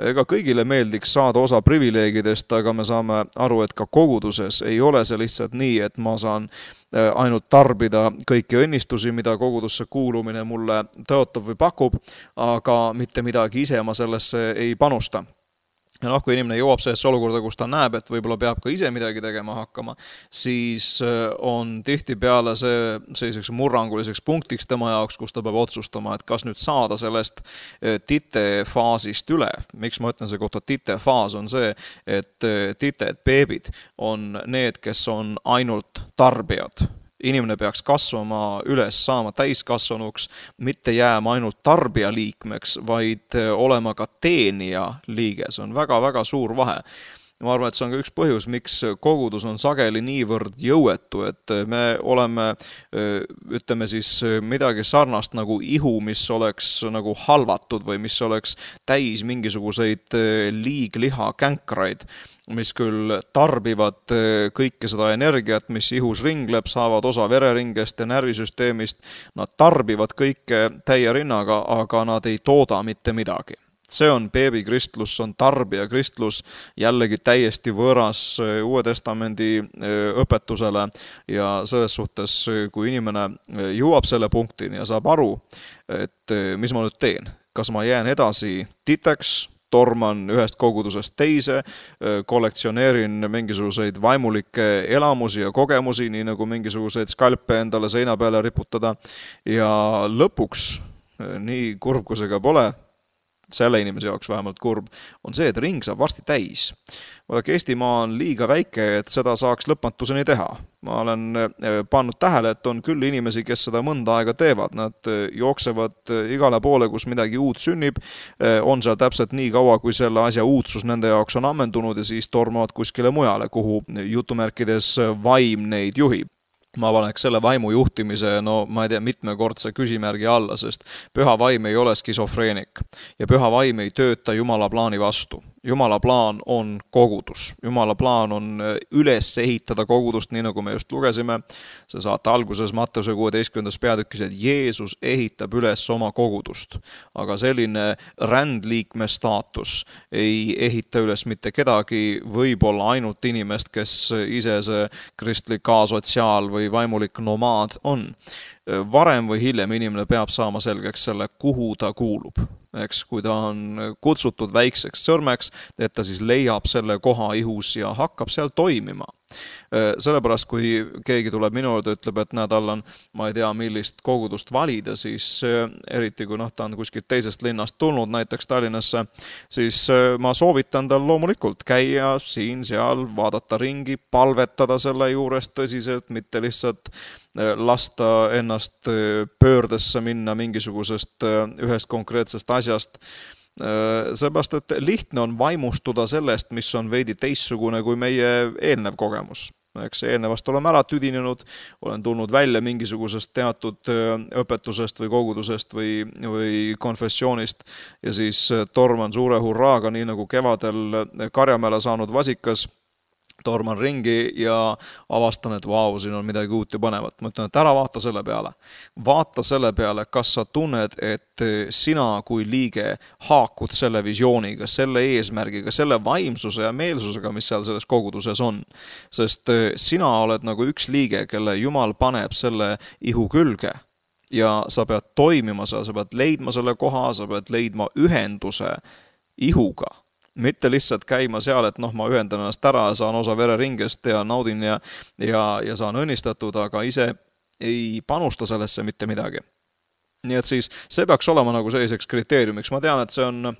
Ega kõigile meeldiks saada osa privileegidest, aga me saame aru, et ka koguduses ei ole see lihtsalt nii, et ma saan ainult tarbida kõiki õnnistusi, mida kogudusse kuulumine mulle tõotab või pakub, aga mitte midagi ise ma sellesse ei panusta. Ja kui inimene jõuab sellesse olukorda, kus ta näeb, et võib-olla peab ka ise midagi tegema hakkama, siis on tihtipeale see selliseks murranguliseks punktiks tema jaoks, kus ta peab otsustama, et kas nüüd saada sellest titefaasist üle. Miks ma ütlen see kohta titefaas on see, et tited, beebid on need, kes on ainult tarbijad. Inimene peaks kasvama üles, saama täiskasvanuks, mitte jääma ainult tarbija liikmeks, vaid olema ka teenija liige. See on väga-väga suur vahe. Ma arvan, et see on ka üks põhjus, miks kogudus on sageli niivõrd jõuetu, et me oleme, ütleme siis midagi sarnast nagu ihu, mis oleks nagu halvatud või mis oleks täis mingisuguseid liigliha känkraid, mis küll tarbivad kõike seda energiat, mis ihus ringleb, saavad osa vereringest ja närvisüsteemist, nad tarbivad kõike täie rinnaga, aga nad ei tooda mitte midagi. See on beebikristlus, see on tarbijakristlus, jällegi täiesti võõras Uue Testamendi õpetusele ja selles suhtes, kui inimene jõuab selle punktini ja saab aru, et mis ma nüüd teen, kas ma jään edasi titeks, torman ühest kogudusest teise, kollektsioneerin mingisuguseid vaimulikke elamusi ja kogemusi, nii nagu mingisuguseid skalpe endale seina peale riputada ja lõpuks, nii kurb kui see ka pole, selle inimese jaoks vähemalt kurb, on see, et ring saab varsti täis. Vaadake, Eestimaa on liiga väike, et seda saaks lõpmatuseni teha. Ma olen pannud tähele, et on küll inimesi, kes seda mõnda aega teevad. Nad jooksevad igale poole, kus midagi uut sünnib, on seal täpselt nii kaua, kui selle asja uudsus nende jaoks on ammendunud ja siis tormavad kuskile mujale, kuhu jutumärkides vaim neid juhib. Ma paneks selle vaimu juhtimise, ma ei tea, mitmekordse küsimärgi alla, sest püha vaim ei ole skisofreenik ja püha vaim ei tööta Jumala plaani vastu. Jumala plaan on kogudus. Jumala plaan on üles ehitada kogudust, nii nagu me just lugesime. See saate alguses Matteuse 16. peatükis, et Jeesus ehitab üles oma kogudust. Aga selline rändliikme staatus ei ehita üles mitte kedagi, võib-olla ainult inimest, kes ise see kristlik asotsiaal või vaimulik nomaad on. Varem või hiljem inimene peab saama selgeks selle, kuhu ta kuulub. Eks, kui ta on kutsutud väikseks sõrmeks, et ta siis leiab selle koha ihus ja hakkab seal toimima. Sellepärast, kui keegi tuleb minu juurde, ütleb, et näed, Allan, ma ei tea, millist kogudust valida, siis eriti kui ta on kuskilt teisest linnast tulnud, näiteks Tallinnasse, siis ma soovitan tal loomulikult käia siin-seal, vaadata ringi, palvetada selle juures tõsiselt, mitte lihtsalt lasta ennast pöördesse minna mingisugusest ühest konkreetsest asjast. Seepärast, et lihtne on vaimustuda sellest, mis on veidi teissugune kui meie eelnev kogemus. Eks eelnevast oleme ära tüdinenud, olen tulnud välja mingisugusest teatud õpetusest või kogudusest või konfessioonist ja siis torman suure hurraaga, nii nagu kevadel Karjamäele saanud vasikas, torman ringi ja avastan, et vau, siin on midagi uut ja põnevat. Ma ütlen, et ära vaata selle peale. Vaata selle peale, kas sa tunned, et sina kui liige haakud selle visiooniga, selle eesmärgiga, selle vaimsuse ja meelsusega, mis seal selles koguduses on. Sest sina oled nagu üks liige, kelle Jumal paneb selle ihu külge ja sa pead toimima, sa pead leidma selle koha, sa pead leidma ühenduse ihuga. Mitte lihtsalt käima seal, et ma ühendan ennast ära ja saan osa vereringest ja naudin ja saan õnnistatud, aga ise ei panusta sellesse mitte midagi. Nii et siis see peaks olema nagu selliseks kriteeriumiks. Ma tean, et see on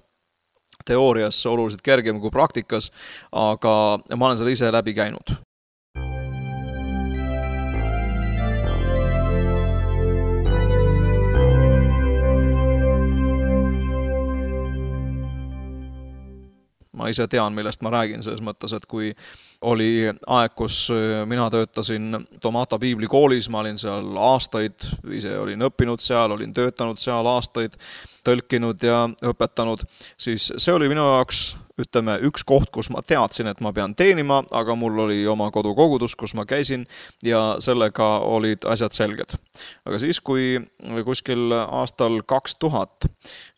teoorias oluliselt kergem kui praktikas, aga ma olen selle ise läbi käinud. Ma ise tean, millest ma räägin selles mõttes, et kui oli aeg, kus mina töötasin Tomata piiblikoolis, ma olin seal aastaid, ise olin õppinud seal, olin töötanud seal aastaid, tõlkinud ja õpetanud, siis see oli minu jaoks, ütleme, üks koht, kus ma teadsin, et ma pean teenima, aga mul oli oma kodukogudus, kus ma käisin ja sellega olid asjad selged. Aga siis, kui kuskil aastal 2000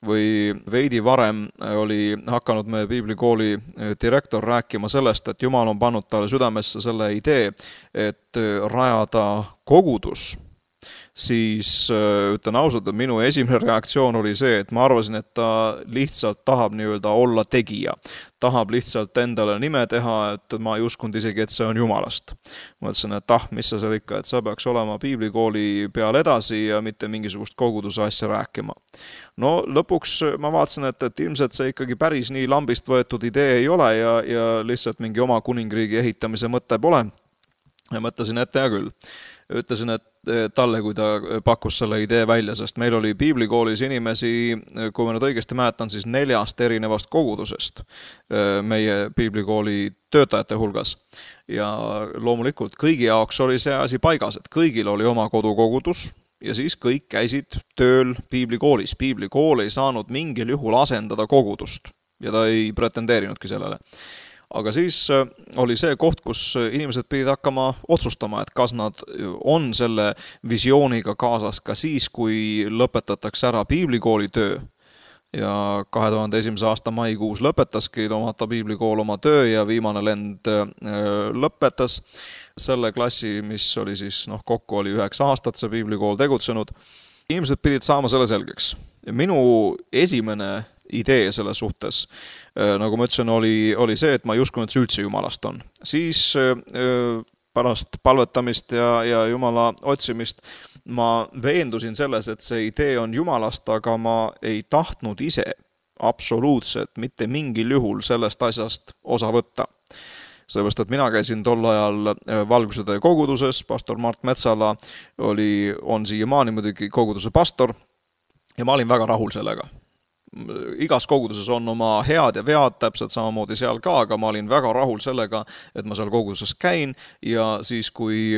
või veidi varem oli hakanud meie piiblikooli direktor rääkima sellest, et Jumal on pannud talle südamesse selle idee, et rajada kogudus, siis ütlen ausalt, et minu esimene reaktsioon oli see, et ma arvasin, et ta lihtsalt tahab nii-öelda olla tegija. Tahab lihtsalt endale nime teha, et ma ei uskunud isegi, et see on Jumalast. Ma mõtlesin, et mis sa seal ikka, et sa peaks olema piiblikooli peal edasi ja mitte mingisugust koguduse asja rääkima. No lõpuks ma vaatasin, et ilmselt see ikkagi päris nii lambist võetud idee ei ole ja lihtsalt mingi oma kuningriigi ehitamise mõte pole. Ja mõtlesin, et hea küll. Ütlesin, et talle, kui ta pakkus selle idee välja, sest meil oli piiblikoolis inimesi, kui ma nüüd õigesti mäletan, siis 4 erinevast kogudusest meie piiblikooli töötajate hulgas. Ja loomulikult kõigi jaoks oli see asi paigas, et kõigil oli oma kodukogudus ja siis kõik käisid tööl piiblikoolis. Piiblikool ei saanud mingil juhul asendada kogudust ja ta ei pretendeerinudki sellele. Aga siis oli see koht, kus inimesed pidid hakkama otsustama, et kas nad on selle visiooniga kaasas ka siis, kui lõpetatakse ära piiblikooli töö. Ja 2001. aasta maikuus lõpetaski Tomata piiblikool oma töö ja viimane lend lõpetas selle klassi, mis oli siis, kokku oli 9 aastat see piiblikool tegutsenud. Inimesed pidid saama selle selgeks. Minu esimene idee selles suhtes, nagu ma ütlesin, oli see, et ma ei uskunud, et see üldse Jumalast on. Siis pärast palvetamist ja Jumala otsimist ma veendusin selles, et see idee on Jumalast, aga ma ei tahtnud ise absoluutselt mitte mingil juhul sellest asjast osa võtta. Sellepärast, et mina käisin tol ajal Valgusede koguduses, pastor Mart Metsala on siiamaani muidugi koguduse pastor ja ma olin väga rahul sellega. Igas koguduses on oma head ja vead, täpselt samamoodi seal ka, aga ma olin väga rahul sellega, et ma seal koguduses käin ja siis, kui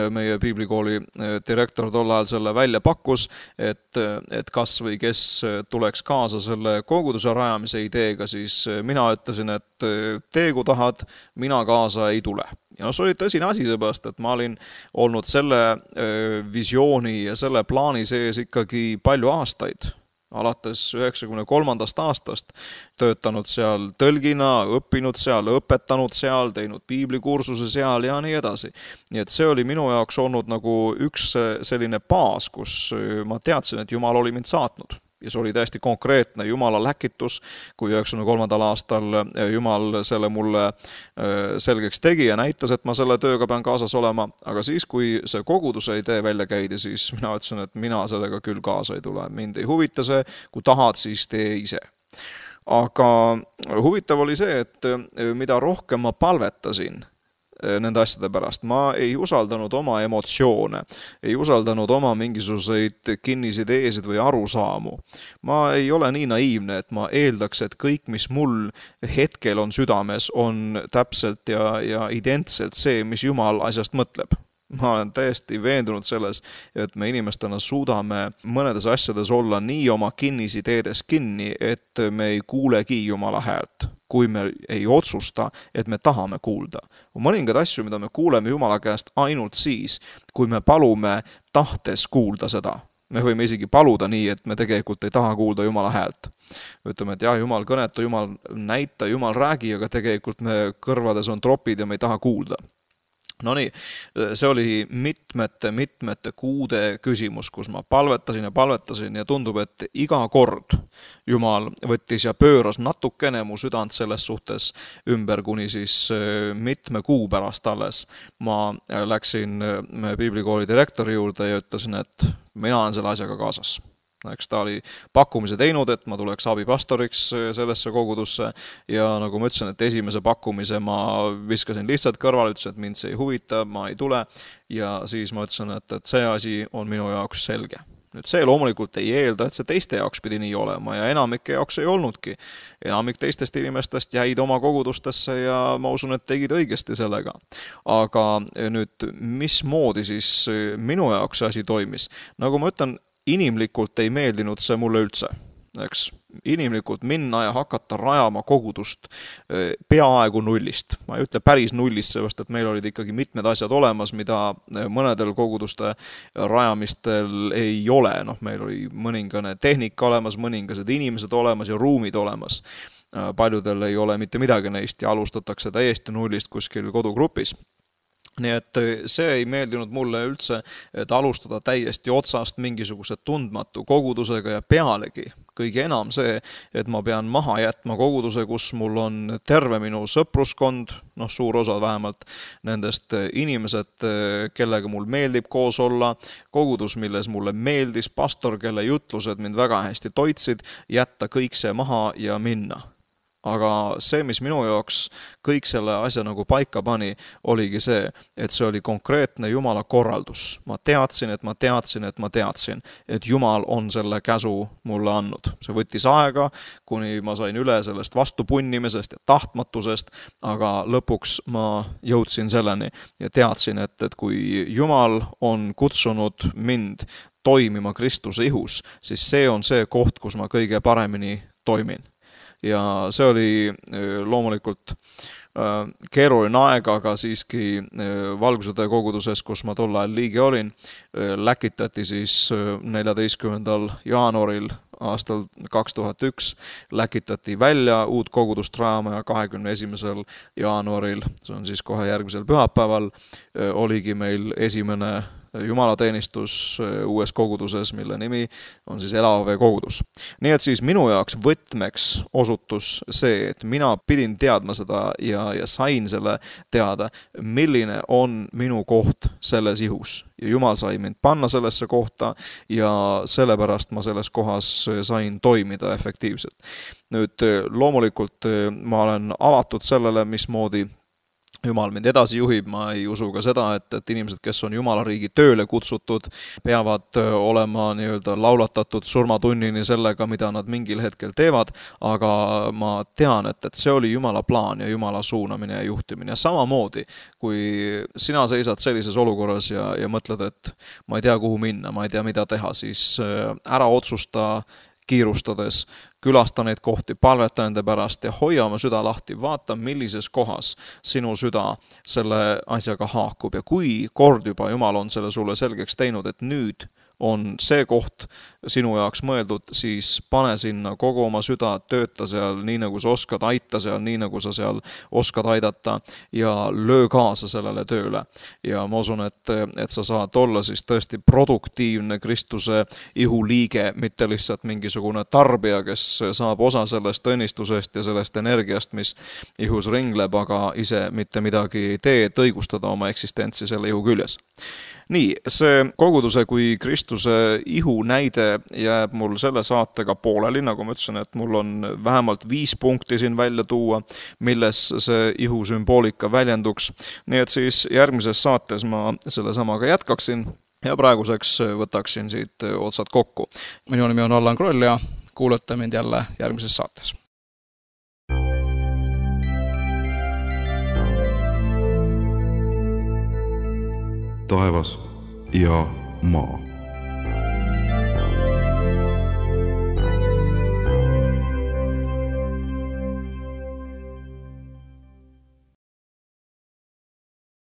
meie piiblikooli direktor tol ajal selle välja pakkus, et kas või kes tuleks kaasa selle koguduse rajamise ideega, siis mina ütlesin, et tee kui tahad, mina kaasa ei tule. Ja see oli tõsine asi seepärast, et ma olin olnud selle visiooni ja selle plaani sees ikkagi palju aastaid. Alates 93. aastast töötanud seal tõlgina, õppinud seal, õpetanud seal, teinud piiblikursuse seal ja nii edasi. Nii et see oli minu jaoks olnud nagu üks selline baas, kus ma teadsin, et Jumal oli mind saatnud. ja see oli täiesti konkreetne Jumala läkitus, kui 93. aastal Jumal selle mulle selgeks tegi ja näitas, et ma selle tööga pean kaasas olema, aga siis, kui see koguduse idee välja käidi, siis mina ütlesin, et mina sellega küll kaasa ei tule, mind ei huvita see, kui tahad, siis tee ise. Aga huvitav oli see, et mida rohkem ma palvetasin nende asjade pärast. Ma ei usaldanud oma emotsioone, ei usaldanud oma mingisuguseid kinnisideesid või arusaamu. Ma ei ole nii naiivne, et ma eeldaks, et kõik, mis mul hetkel on südames, on täpselt ja identselt see, mis Jumal asjast mõtleb. Ma olen täiesti veendunud selles, et me inimestena suudame mõnedes asjades olla nii oma kinnisideedes kinni, et me ei kuulegi Jumala häält, kui me ei otsusta, et me tahame kuulda. On mõningad asju, mida me kuuleme Jumala käest ainult siis, kui me palume tahtes kuulda seda. Me võime isegi paluda nii, et me tegelikult ei taha kuulda Jumala häält. Ütleme, et jah, Jumal kõneta, Jumal näita, Jumal räägi, aga tegelikult me kõrvades on tropid ja me ei taha kuulda. No nii, see oli mitmete kuude küsimus, kus ma palvetasin ja tundub, et iga kord Jumal võttis ja pööras natukene mu südant selles suhtes ümber, kuni siis mitme kuu pärast alles. Ma läksin piiblikooli direktori juurde ja ütlesin, et mina olen selle asjaga kaasas. Eks ta oli pakkumise teinud, et ma tuleks abipastoriks sellesse kogudusse ja nagu ma ütlesin, et esimese pakkumise ma viskasin lihtsalt kõrvale, ütlesin, et mind see ei huvita, ma ei tule ja siis ma ütlesin, et see asi on minu jaoks selge. Nüüd see loomulikult ei eelda, et see teiste jaoks pidi nii olema ja enamike jaoks ei olnudki. Enamik teistest inimestest jäid oma kogudustesse ja ma usun, et tegid õigesti sellega. Aga nüüd, mismoodi siis minu jaoks see asi toimis? Nagu ma ütlen, inimlikult ei meeldinud see mulle üldse. Eks, inimlikult minna ja hakata rajama kogudust peaaegu nullist. Ma ei ütle päris nullist, sellepärast, et meil olid ikkagi mitmed asjad olemas, mida mõnedel koguduste rajamistel ei ole. Meil oli mõningane tehnika olemas, mõningased inimesed olemas ja ruumid olemas. Paljudel ei ole mitte midagi neist ja alustatakse täiesti nullist kuskil kodugrupis. Nii et see ei meeldinud mulle üldse, et alustada täiesti otsast mingisuguse tundmatu kogudusega ja pealegi kõige enam see, et ma pean maha jätma koguduse, kus mul on terve minu sõpruskond, suur osa vähemalt nendest inimesed, kellega mul meeldib koos olla, kogudus, milles mulle meeldis, pastor, kelle jutlused mind väga hästi toitsid, jätta kõik see maha ja minna. Aga see, mis minu jaoks kõik selle asja nagu paika pani, oligi see, et see oli konkreetne Jumala korraldus. Ma teadsin, et Jumal on selle käsu mulle andnud. See võttis aega, kuni ma sain üle sellest vastupunnimisest ja tahtmatusest, aga lõpuks ma jõudsin selleni ja teadsin, et kui Jumal on kutsunud mind toimima Kristuse ihus, siis see on see koht, kus ma kõige paremini toimin. Ja see oli loomulikult keeruline aeg, aga siiski Valguse koguduses, kus ma tol ajal liige olin, läkitati siis 14. jaanuaril aastal 2001 läkitati välja uut kogudust rajama ja 21. jaanuaril, see on siis kohe järgmisel pühapäeval, oligi meil esimene jumalateenistus uues koguduses, mille nimi on siis Elavee kogudus. Nii et siis minu jaoks võtmeks osutus see, et mina pidin teadma seda ja sain selle teada, milline on minu koht selles ihus. Ja Jumal sai mind panna sellesse kohta ja sellepärast ma selles kohas sain toimida efektiivselt. Nüüd loomulikult ma olen avatud sellele, mismoodi Jumal mind edasi juhib, ma ei usu ka seda, et inimesed, kes on Jumala riigi tööle kutsutud, peavad olema nii-öelda laulatatud surmatunnini sellega, mida nad mingil hetkel teevad, aga ma tean, et see oli Jumala plaan ja Jumala suunamine ja juhtimine. Ja samamoodi, kui sina seisad sellises olukorras ja mõtled, et ma ei tea, kuhu minna, ma ei tea, mida teha, siis ära otsusta kiirustades, külasta neid kohti, palveta nende pärast ja hoia oma süda lahti, vaata, millises kohas sinu süda selle asjaga haakub ja kui kord juba Jumal on selle sulle selgeks teinud, et nüüd on see koht sinu jaoks mõeldud, siis pane sinna kogu oma süda, tööta seal nii, nagu sa oskad, aita seal nii, nagu sa seal oskad aidata ja löö kaasa sellele tööle. Ja ma usun, et sa saad olla siis tõesti produktiivne Kristuse ihuliige, mitte lihtsalt mingisugune tarbija, kes saab osa sellest õnnistusest ja sellest energiast, mis ihus ringleb, aga ise mitte midagi ei tee, et õigustada oma eksistentsi selle ihu küljes. Nii, see koguduse kui Kristuse ihu näide jääb mul selle saatega pooleli, nagu ma ütlesin, et mul on vähemalt 5 punkti siin välja tuua, milles see ihu sümboolika väljenduks. Nii et siis järgmises saates ma selle samaga jätkaksin ja praeguseks võtaksin siit otsad kokku. Minu nimi on Allan Kroll ja kuulate mind jälle järgmises saates. Taevas ja maa.